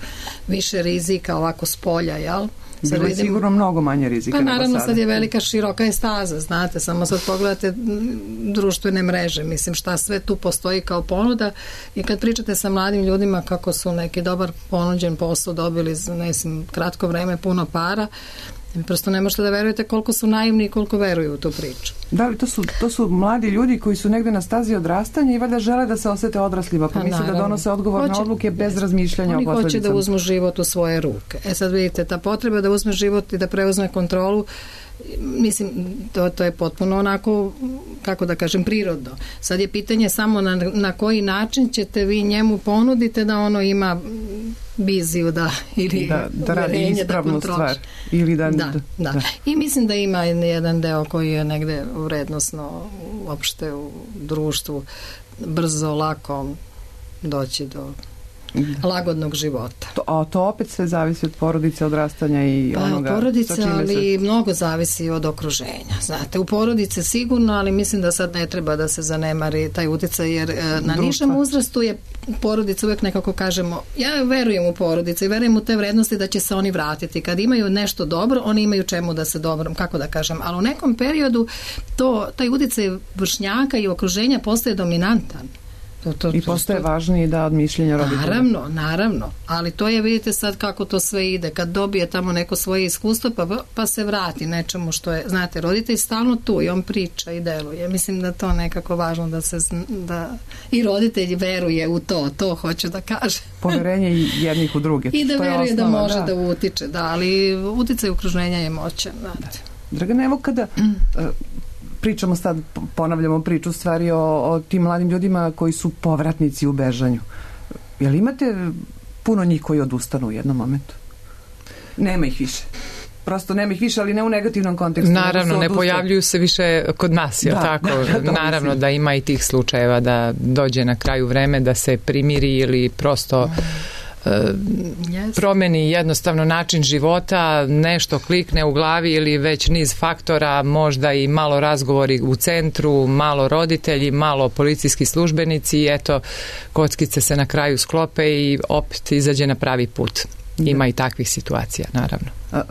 više rizika ovako s polja, jel? Bilo je sigurno mnogo manje rizika. Pa naravno sad je velika široka je staza, znate, samo sad pogledate društvene mreže, mislim šta sve tu postoji kao ponuda i kad pričate sa mladim ljudima kako su neki dobar ponuđen posao dobili za ne znam, kratko vreme, puno para, prosto ne možete da verujete koliko su naivni i koliko veruju u tu priču. Da, ali to su, to su mladi ljudi koji su negde na stazi odrastanja i valjda žele da se osete odraslima, pa, pa misle da donose odgovorne hoće, odluke bez razmišljanja o posledicama. Oni hoće da uzmu život u svoje ruke. E sad vidite, ta potreba da uzme život i da preuzme kontrolu, mislim, to, to je potpuno onako, kako da kažem, prirodno. Sad je pitanje samo na, na koji način ćete vi njemu ponudite da ono ima viziju da, ili da, da radi ispravnu da stvar. Ili da, da, da. da. I mislim da ima jedan deo koji je negde vrednosno uopšte u društvu brzo, lako doći do lagodnog života. To, a to opet sve zavisi od porodice, odrastanja i pa, onoga... Pa, porodice, ali se... mnogo zavisi od okruženja. Znate, u porodice sigurno, ali mislim da sad ne treba da se zanemari taj uticaj, jer na nižem uzrastu je porodica uvek nekako kažemo, ja verujem u porodice i verujem u te vrednosti da će se oni vratiti. Kad imaju nešto dobro, oni imaju čemu da se dobro, kako da kažem, ali u nekom periodu to, taj uticaj vršnjaka i okruženja postaje dominantan. To, to, I postaje to, važniji da od mišljenja roditelja. Naravno, naravno, ali to je, vidite sad kako to sve ide, kad dobije tamo neko svoje iskustvo pa, pa se vrati nečemu što je, znate, roditelj stalno tu i on priča i deluje, mislim da to nekako važno da se, da i roditelj veruje u to, to hoću da kažem. Poverenje jednih u druge. I da to veruje osnova, da može da. da utiče, da, ali uticaj okruženja je moćan, znate. Da. Dragana, evo kada uh, pričamo sad, ponavljamo priču stvari o, o tim mladim ljudima koji su povratnici u bežanju. Jel imate puno njih koji odustanu u jednom momentu? Nema ih više. Prosto nema ih više, ali ne u negativnom kontekstu. Naravno, ne pojavljuju se više kod nas, je da, tako? Da, da, Naravno da ima i tih slučajeva da dođe na kraju vreme da se primiri ili prosto yes. promeni jednostavno način života, nešto klikne u glavi ili već niz faktora, možda i malo razgovori u centru, malo roditelji, malo policijski službenici i eto, kockice se na kraju sklope i opet izađe na pravi put. Ima da. I takvih situacija, naravno.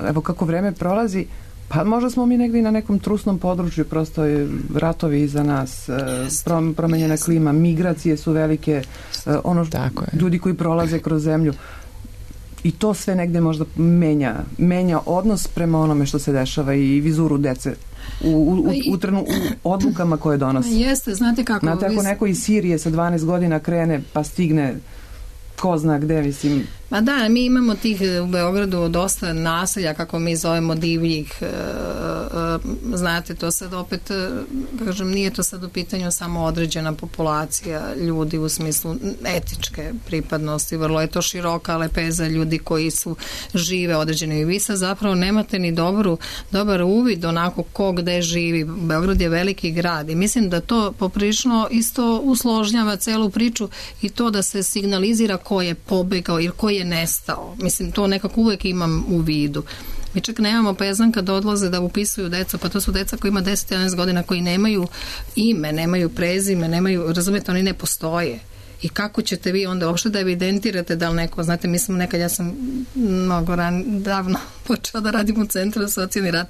Evo kako vreme prolazi, pa možda smo mi negdje na nekom trusnom području, prosto je ratovi iza nas, yes. promenjena yes. klima, migracije su velike, ono što ljudi koji prolaze kroz zemlju. i to sve negde možda menja, menja odnos prema onome što se dešava i vizuru dece u, u, u, trenu, u odlukama koje donosi. Jeste, znate kako... Znate, ako neko iz Sirije sa dvanaest godina krene pa stigne ko zna gde, mislim... Ma da, mi imamo tih u Beogradu dosta naselja, kako mi zovemo divljih, e, e, znate, to sad opet, kažem, nije to sad u pitanju samo određena populacija ljudi u smislu etičke pripadnosti, vrlo je to široka lepeza ljudi koji su žive određene i vi sad zapravo nemate ni dobru, dobar uvid onako ko gde živi. Beograd je veliki grad i mislim da to poprilično isto usložnjava celu priču i to da se signalizira ko je pobegao ili ko je nestao. Mislim, to nekako uvek imam u vidu. Mi čak nemamo pezan kad odlaze da upisuju decu, pa to su deca koji ima deset jedanaest godina koji nemaju ime, nemaju prezime, nemaju, razumete, oni ne postoje. I kako ćete vi onda uopšte da evidentirate da li neko, znate, mi smo nekad, ja sam mnogo ran, davno počela da radim u Centru za socijalni rad,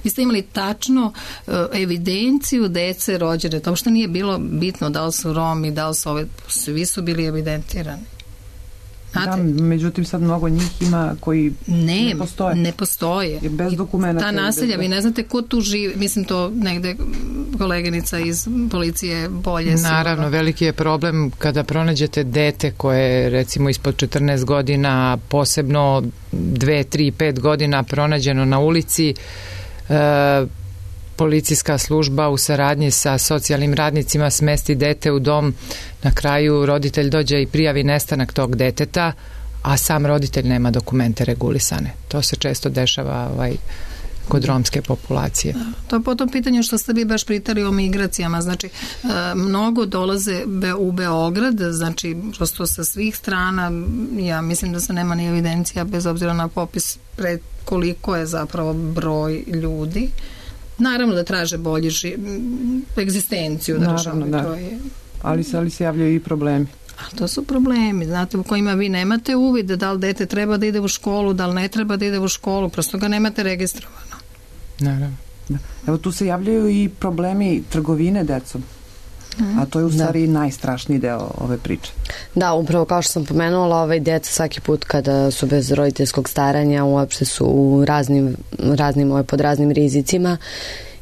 vi ste imali tačno uh, evidenciju dece rođene, to uopšte nije bilo bitno da li su Romi, da li su ove, svi su bili evidentirani. Da, međutim sad mnogo njih ima koji ne, ne postoje. Ne postoje. Bez dokumenta. Ta naselja, vi ne znate ko tu živi, mislim to negde koleginica iz policije bolje. Naravno, sigurno. Veliki je problem kada pronađete dete koje je recimo ispod četrnaest godina, posebno dve, tri, pet godina pronađeno na ulici, e, policijska služba u saradnji sa socijalnim radnicima smesti dete u dom, na kraju roditelj dođe i prijavi nestanak tog deteta, a sam roditelj nema dokumente regulisane. To se često dešava ovaj, kod romske populacije. To po tom pitanju što ste vi baš pritali o migracijama, znači e, mnogo dolaze be, u Beograd, znači prosto sa svih strana, ja mislim da se nema ni evidencija bez obzira na popis pred koliko je zapravo broj ljudi. Naravno da traže bolji ži... egzistenciju. Da Naravno, da. To je... ali, se, ali se javljaju i problemi. A to su problemi, znate, u kojima vi nemate uvid da li dete treba da ide u školu, da li ne treba da ide u školu, prosto ga nemate registrovano. Naravno. Da. Evo tu se javljaju i problemi trgovine decom. A to je u stvari da. najstrašniji deo ove priče. Da, upravo kao što sam pomenula, ovaj deca svaki put kada su bez roditeljskog staranja uopšte su u raznim, raznim ovaj, pod raznim rizicima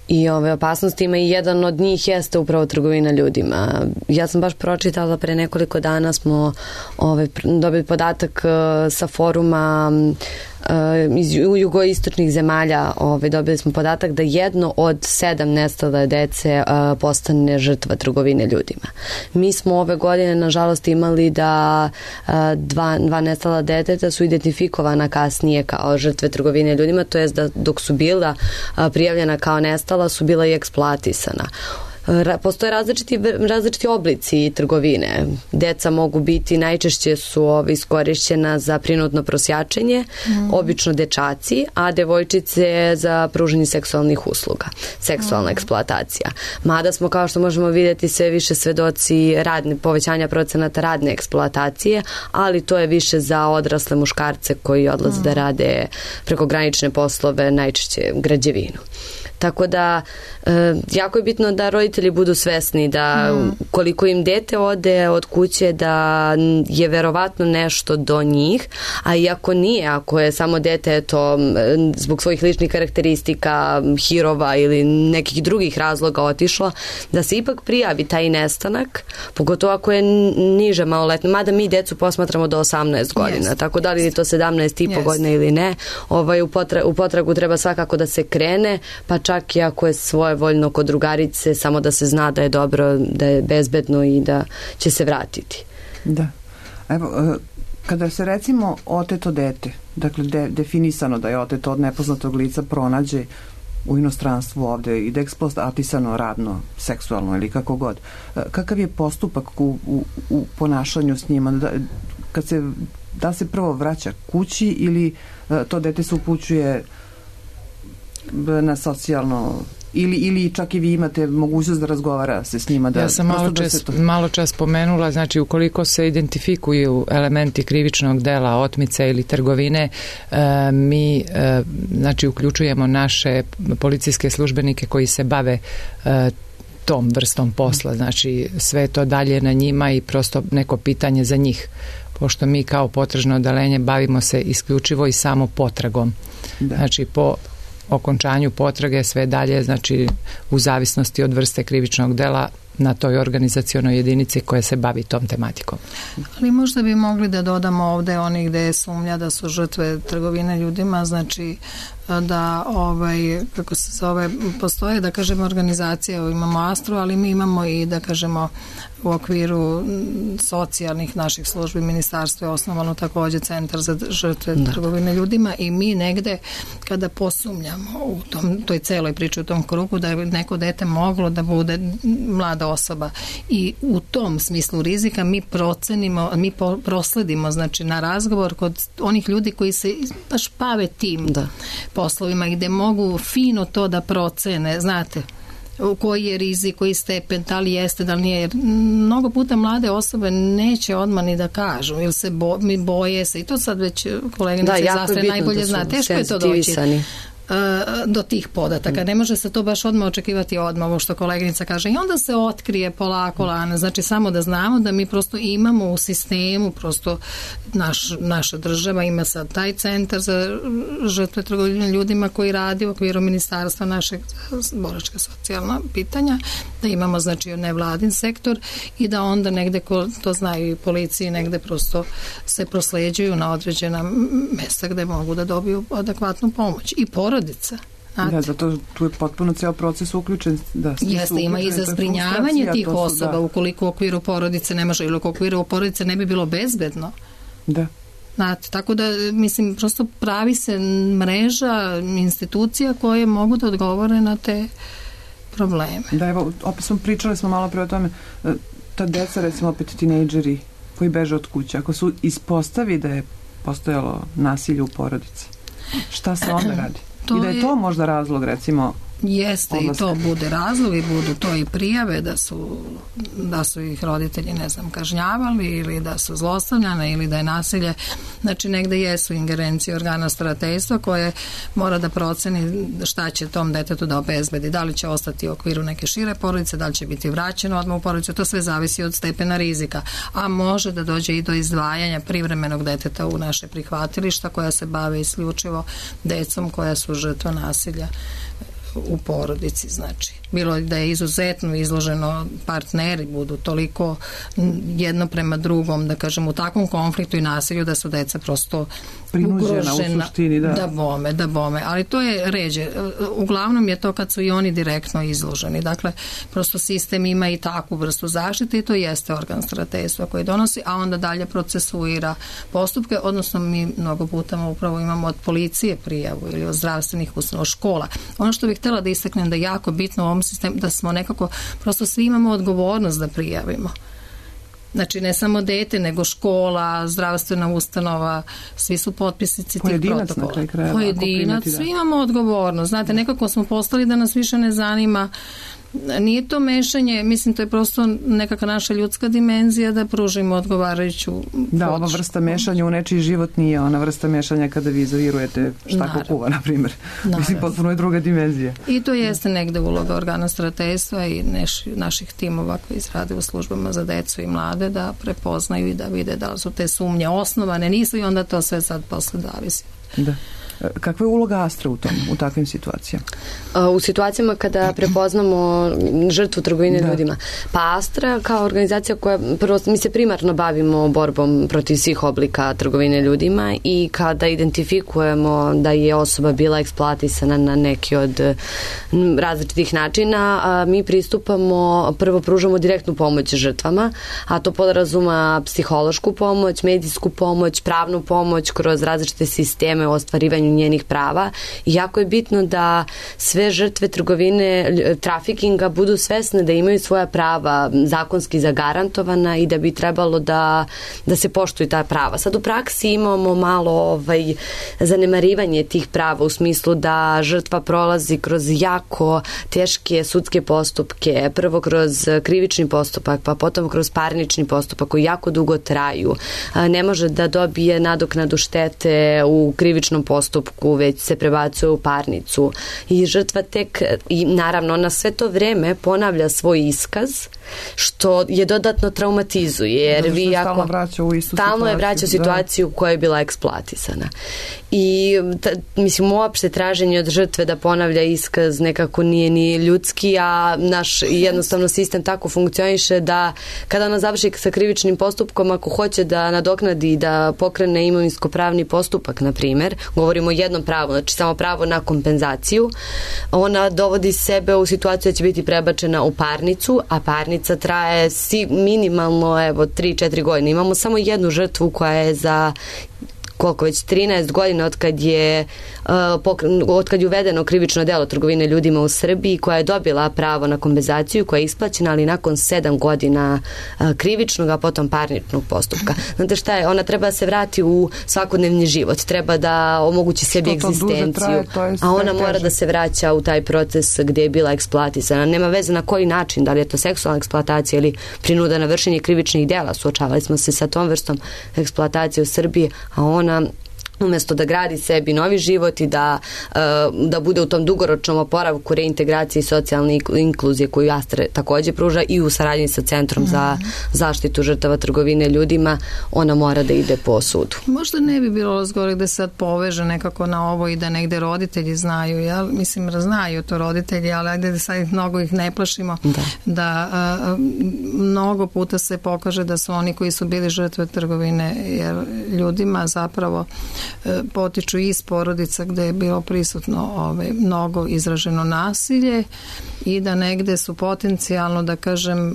i ove opasnostima i jedan od njih jeste upravo trgovina ljudima. Ja sam baš pročitala pre nekoliko dana smo ove, dobili podatak uh, sa foruma uh, iz jugoistočnih zemalja, ove, dobili smo podatak da jedno od sedam nestale dece uh, postane žrtva trgovine ljudima. Mi smo ove godine nažalost imali da uh, dva, dva nestala deteta su identifikovana kasnije kao žrtve trgovine ljudima, to jest da dok su bila uh, prijavljena kao nestala su bila i eksploatisana. Postoje različiti, različiti oblici trgovine. Deca mogu biti, najčešće su ove iskorišćena za prinudno prosjačenje, mm. obično dečaci, a devojčice za pružanje seksualnih usluga, seksualna mm. eksploatacija. Mada smo, kao što možemo vidjeti, sve više svedoci radne, povećanja procenata radne eksploatacije, ali to je više za odrasle muškarce koji odlaze mm. da rade prekogranične poslove, najčešće građevinu. Tako da e, jako je bitno da roditelji budu svesni da mm. koliko im dete ode od kuće da je verovatno nešto do njih, a iako nije, ako je samo dete eto, zbog svojih ličnih karakteristika, hirova ili nekih drugih razloga otišla, da se ipak prijavi taj nestanak, pogotovo ako je niže maloletno, mada mi decu posmatramo do osamnaest godina, yes. tako da li je to sedamnaest i po yes. godina ili ne, ovaj, u, potra, u potragu treba svakako da se krene, pa čak i ako je svojevoljno kod drugarice, samo da se zna da je dobro, da je bezbedno i da će se vratiti. Da. Evo, kada se recimo oteto dete, dakle de, definisano da je oteto od nepoznatog lica, pronađe u inostranstvu ovde i da je eksploatisano radno, seksualno ili kako god, kakav je postupak u, u, u ponašanju s njima? Da, kad se, da se prvo vraća kući ili to dete se upućuje na socijalno ili, ili čak i vi imate mogućnost da razgovara se s njima. Da, ja sam malo čas, to... malo čas pomenula, znači ukoliko se identifikuju elementi krivičnog dela, otmice ili trgovine, e, mi e, znači uključujemo naše policijske službenike koji se bave e, tom vrstom posla, znači sve to dalje na njima i prosto neko pitanje za njih pošto mi kao potražno odeljenje bavimo se isključivo i samo potragom. Da. Znači po okončanju potrage sve dalje, znači u zavisnosti od vrste krivičnog dela na toj organizacionoj jedinici koja se bavi tom tematikom. Ali možda bi mogli da dodamo ovde oni gde je sumnja da su žrtve trgovine ljudima, znači da ovaj, kako se zove, postoje da kažemo organizacije, imamo Astru, ali mi imamo i da kažemo u okviru socijalnih naših službi ministarstva je osnovano takođe centar za žrtve da. trgovine ljudima i mi negde kada posumnjamo u tom, toj celoj priči u tom krugu da je neko dete moglo da bude mlada osoba i u tom smislu rizika mi procenimo, mi po, prosledimo znači na razgovor kod onih ljudi koji se baš bave tim da. poslovima gde mogu fino to da procene, znate, koji je rizik, koji stepen, da li jeste, da li nije. Jer mnogo puta mlade osobe neće odmah ni da kažu, ili se bo, mi boje se i to sad već koleginice da, Zastre najbolje da zna. Teško je to doći do tih podataka. Ne može se to baš odmah očekivati odmah, ovo što koleginica kaže. I onda se otkrije polako lana. Znači samo da znamo da mi prosto imamo u sistemu, prosto naš, naša država ima sad taj centar za žrtve trgovine ljudima koji radi u okviru ministarstva našeg boračka socijalna pitanja, da imamo znači nevladin sektor i da onda negde, ko to znaju i policiji, negde prosto se prosleđuju na određena mesta gde mogu da dobiju adekvatnu pomoć. I porodica. Da, zato tu je potpuno ceo proces uključen. Da, jeste, ima i za zbrinjavanje tih su, osoba, da. Ukoliko u okviru porodice ne može ili u okviru porodice ne bi bilo bezbedno. Da. Znate, tako da, mislim, prosto pravi se mreža institucija koje mogu da odgovore na te probleme. Da, evo, opet smo pričali smo malo pre o tome, ta deca, recimo opet tinejdžeri koji beže od kuće, ako su ispostavi da je postojalo nasilje u porodici, šta se onda radi? To I da je to možda razlog, recimo, jeste odlaska. I to bude razlog i budu to i prijave da su, da su ih roditelji, ne znam, kažnjavali ili da su zlostavljane ili da je nasilje. Znači negde jesu ingerencije organa starateljstva koje mora da proceni šta će tom detetu da obezbedi. Da li će ostati u okviru neke šire porodice, da li će biti vraćeno odmah u porodicu. To sve zavisi od stepena rizika. A može da dođe i do izdvajanja privremenog deteta u naše prihvatilišta koja se bave isključivo decom koja su žrtva nasilja u porodici, znači. Bilo da je izuzetno izloženo, partneri budu toliko jedno prema drugom, da kažem, u takvom konfliktu i nasilju da su deca prosto prinuđena u suštini, da. Da bome, da bome. Ali to je ređe. Uglavnom je to kad su i oni direktno izloženi. Dakle, prosto sistem ima i takvu vrstu zaštite i to jeste organ starateljstva koji donosi, a onda dalje procesuira postupke, odnosno mi mnogo puta upravo imamo od policije prijavu ili od zdravstvenih ustanova, škola. Ono što bih htjela da istaknem da je jako bitno u ovom sistemu da smo nekako, prosto svi imamo odgovornost da prijavimo. Znači ne samo dete, nego škola, zdravstvena ustanova, svi su potpisnici tih protokola. Na kraj krajeva, Pojedinac, svi imamo odgovornost. Znate, nekako smo postali da nas više ne zanima. Nije to mešanje, mislim to je prosto nekakva naša ljudska dimenzija da pružimo odgovarajuću Da, ova vrsta mešanja u nečiji život nije ona vrsta mešanja kada vi izolirujete šta ko kuva, na primjer. Mislim, potpuno je druga dimenzija. I to jeste negde uloga organa starateljstva i neš, naših timova koji izrade u službama za decu i mlade da prepoznaju i da vide da li su te sumnje osnovane, nisu i onda to sve sad posle zavisi. Da. Kakva je uloga Astra u tom, u takvim situacijama? U situacijama kada prepoznamo žrtvu trgovine da. ljudima. Pa Astra kao organizacija koja, prvo mi se primarno bavimo borbom protiv svih oblika trgovine ljudima i kada identifikujemo da je osoba bila eksploatisana na neki od različitih načina, mi pristupamo, prvo pružamo direktnu pomoć žrtvama, a to podrazuma psihološku pomoć, medijsku pomoć, pravnu pomoć kroz različite sisteme u ostvarivanju njenih prava i jako je bitno da sve žrtve trgovine, trafikinga budu svesne da imaju svoja prava zakonski zagarantovana i da bi trebalo da, da se poštuju ta prava. Sad u praksi imamo malo ovaj, zanemarivanje tih prava u smislu da žrtva prolazi kroz jako teške sudske postupke, prvo kroz krivični postupak, pa potom kroz parnični postupak koji jako dugo traju. Ne može da dobije nadoknadu štete u krivičnom krivičnom postupku, već se prebacuje u parnicu i žrtva tek, i naravno na sve to vreme ponavlja svoj iskaz, što je dodatno traumatizuje, jer vi ako stalno vraća u istu stalno je situaciju, vraća u situaciju koja je bila eksploatisana. I ta, mislim, uopšte traženje od žrtve da ponavlja iskaz nekako nije ni ljudski, a naš jednostavno sistem tako funkcioniše da kada ona završi sa krivičnim postupkom, ako hoće da nadoknadi i da pokrene imovinsko-pravni postupak, na primjer, govorimo o jednom pravu, znači samo pravo na kompenzaciju, ona dovodi sebe u situaciju da će biti prebačena u parnicu, a parnica traje si minimalno evo tri četiri godine. Imamo samo jednu žrtvu koja je za koliko već trinaest godina od kad je uh, od kad je uvedeno krivično delo trgovine ljudima u Srbiji, koja je dobila pravo na kompenzaciju, koja je isplaćena, ali nakon sedam godina uh, krivičnog, a potom parničnog postupka. Znate šta je? Ona treba da se vrati u svakodnevni život, treba da omogući sebi egzistenciju, traje, a ona mora teže da se vraća u taj proces gdje je bila eksploatisana. Nema veze na koji način, da li je to seksualna eksploatacija ili prinuda na vršenje krivičnih dela. Suočavali smo se sa tom vrstom eksploatacije u Srbiji, a ona umjesto da gradi sebi novi život i da, da bude u tom dugoročnom oporavku, reintegraciji i socijalne inkluzije koju Astra također pruža i u saradnji sa Centrom za zaštitu žrtava trgovine ljudima, ona mora da ide po sudu. Možda ne bi bilo zgore da se poveže nekako na ovo i da negde roditelji znaju, ja mislim da znaju to roditelji, ali ajde da sad mnogo ih ne plašimo, da, da a, mnogo puta se pokaže da su oni koji su bili žrtve trgovine jer ljudima zapravo potiču iz porodica gde je bilo prisutno ove, mnogo izraženo nasilje i da negde su potencijalno, da kažem,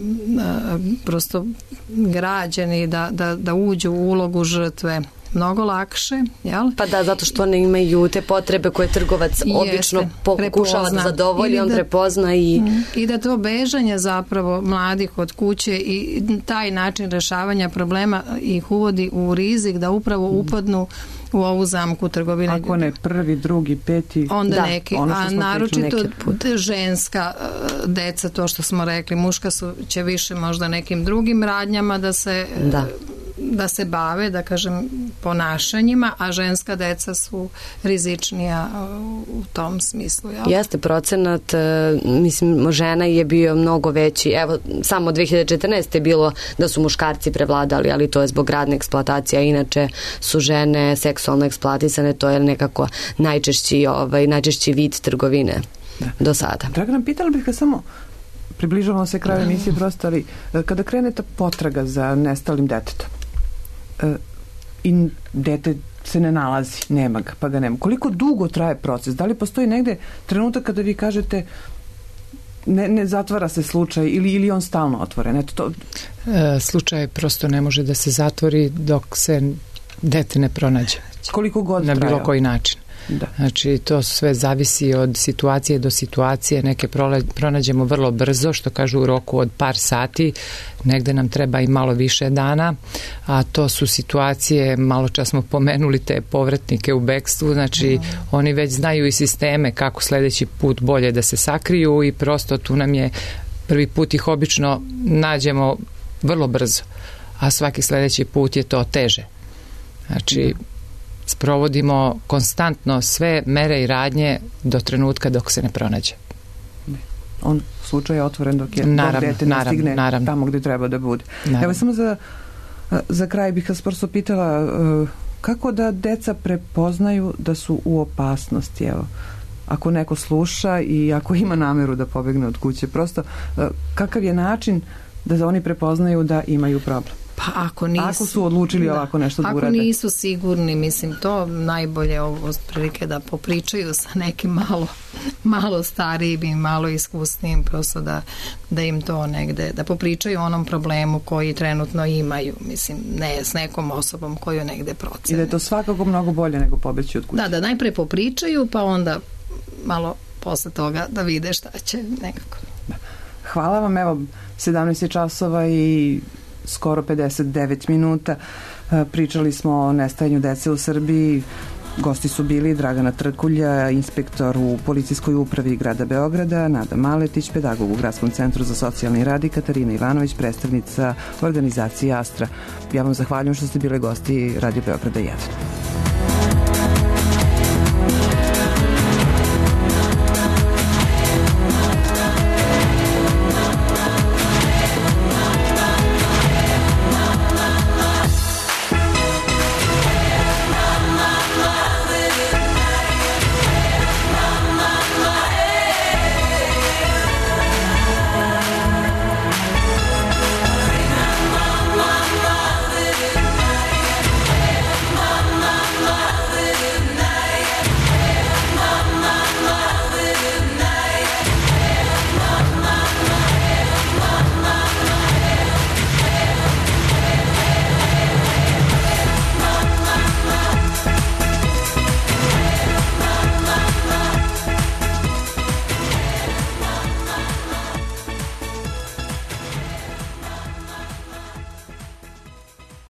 prosto građeni da, da, da uđu u ulogu žrtve mnogo lakše, jel? Pa da, zato što one imaju te potrebe koje trgovac Jeste, obično pokušava da zadovolji, on da, prepozna i... I da to bežanje zapravo mladih od kuće i taj način rešavanja problema ih uvodi u rizik da upravo upadnu u ovu zamku trgovine. Ako ne prvi, drugi, peti, onda da, neki, a naročito ženska deca, to što smo rekli, muška su, će više možda nekim drugim radnjama da se da. da se bave, da kažem, ponašanjima, a ženska deca su rizičnija u tom smislu. Jel? Jeste procenat, mislim, žena je bio mnogo veći. Evo, samo dve hiljade četrnaeste je bilo da su muškarci prevladali, ali to je zbog radne eksploatacije, a inače su žene seksualno eksploatisane, to je nekako najčešći, ovaj, najčešći vid trgovine da. do sada. Dragana, pitala bih ga samo, približavamo se kraju emisije prosto, ali kada krene ta potraga za nestalim detetom, i dete se ne nalazi, nema ga, pa ga nema. Koliko dugo traje proces? Da li postoji negde trenutak kada vi kažete ne, ne zatvara se slučaj ili, ili on stalno otvoren? Eto to... E, slučaj prosto ne može da se zatvori dok se dete ne pronađe. Koliko god na trajao? Bilo koji način. Da. Znači to sve zavisi od situacije do situacije, neke pronađemo vrlo brzo, što kažu u roku od par sati, negde nam treba i malo više dana, a to su situacije, malo čas smo pomenuli te povratnike u bekstvu, znači mm. oni već znaju i sisteme kako sledeći put bolje da se sakriju i prosto tu nam je prvi put ih obično nađemo vrlo brzo, a svaki sledeći put je to teže. Znači mm. sprovodimo konstantno sve mere i radnje do trenutka dok se ne pronađe. On slučaj je otvoren dok je naravno, dok dete ne naravno, stigne naravno. tamo gde treba da bude. Naravno. Evo samo za, za kraj bih vas prosto pitala kako da deca prepoznaju da su u opasnosti, evo, ako neko sluša i ako ima nameru da pobegne od kuće, prosto kakav je način da oni prepoznaju da imaju problem? Pa ako nisu, ako su odlučili da, ovako nešto da ako urade. Ako nisu sigurni, mislim, to najbolje ovo prilike da popričaju sa nekim malo, malo starijim i malo iskusnijim, prosto da, da im to negde, da popričaju o onom problemu koji trenutno imaju, mislim, ne s nekom osobom koju negde procene. I da je to svakako mnogo bolje nego pobeći od kuće. Da, da najpre popričaju, pa onda malo posle toga da vide šta će nekako. Da. Hvala vam, evo, sedamnaest časova i skoro pedeset devet minuta. Pričali smo o nestajanju dece u Srbiji. Gosti su bili Dragana Trkulja, inspektor u policijskoj upravi grada Beograda, Nada Maletić, pedagog u Gradskom centru za socijalni rad i Katarina Ivanović, predstavnica organizacije Astra. Ja vam zahvaljujem što ste bili gosti Radio Beograda jedan.